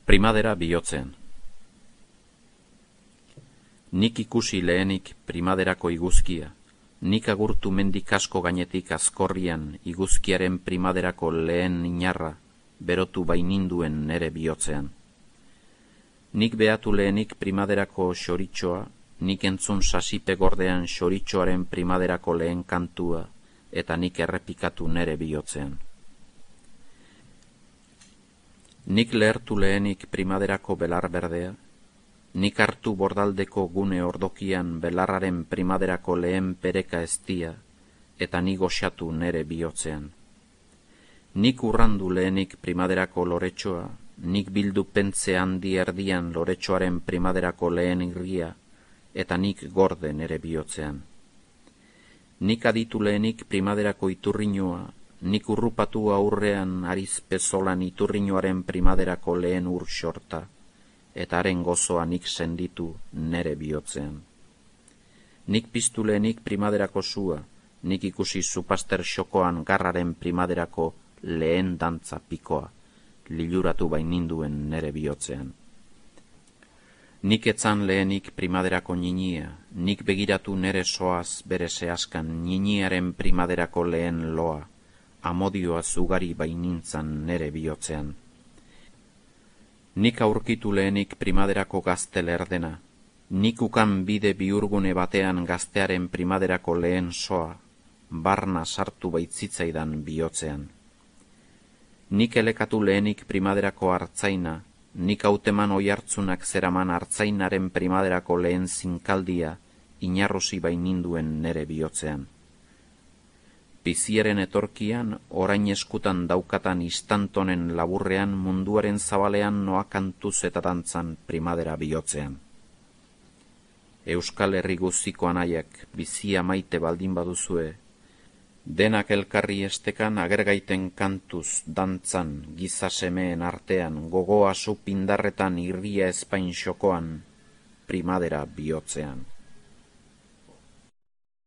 Primadera bihotzean. Nik ikusi lehenik primaderako iguzkia, nik agurtu mendik asko gainetik azkorrian iguzkiaren primaderako lehen inarra berotu baininduen nere bihotzean. Nik behatu lehenik primaderako xoritxoa, nik entzun sasipe gordean xoritxoaren primaderako lehen kantua, eta nik errepikatu nere bihotzean. Nik lehertu lehenik primaderako belar berdea, nik hartu bordaldeko gune ordokian belarraren primaderako lehen pereka eztia, eta nik goxatu nere bihotzean. Nik urrandu lehenik primaderako loretxoa, nik bildu pentze handi erdian loretxoaren primaderako lehen irria, eta nik gorde nere bihotzean. Nik aditu lehenik primaderako iturriñoa, nik urrupatu aurrean ariz pezolan iturriñoaren primaderako lehen ur xorta, eta haren gozoa nik senditu nere bihotzean. Nik piztu lehenik primaderako sua, nik ikusi zupaster xokoan garraren primaderako lehen dantza pikoa, liluratu baininduen nere bihotzean. Nik etzan lehenik primaderako ninia, nik begiratu nere soaz bere zehazkan niniaren primaderako lehen loa, amodioa zugari bainintzan nere bihotzean. Nik aurkitu lehenik primaderako gazte lerdena, nik ukan bide bihurgune batean gaztearen primaderako lehen soa, barna sartu baitzitzaidan bihotzean. Nik elekatu lehenik primaderako hartzaina, nik hauteman oihartzunak zeraman hartzainaren primaderako lehen zinkaldia, inarrosi baininduen nere bihotzean. Biziaren etorkian, orain eskutan daukatan istantonen laburrean munduaren zabalean noakantuz eta dantzan primadera bihotzean. Euskal Herri guztiko anaiak bizia maite baldin baduzue, denak elkarri estekan agergaiten kantuz dantzan giza semeen artean gogoa zu pindarretan irria ezpain xokoan primadera bihotzean.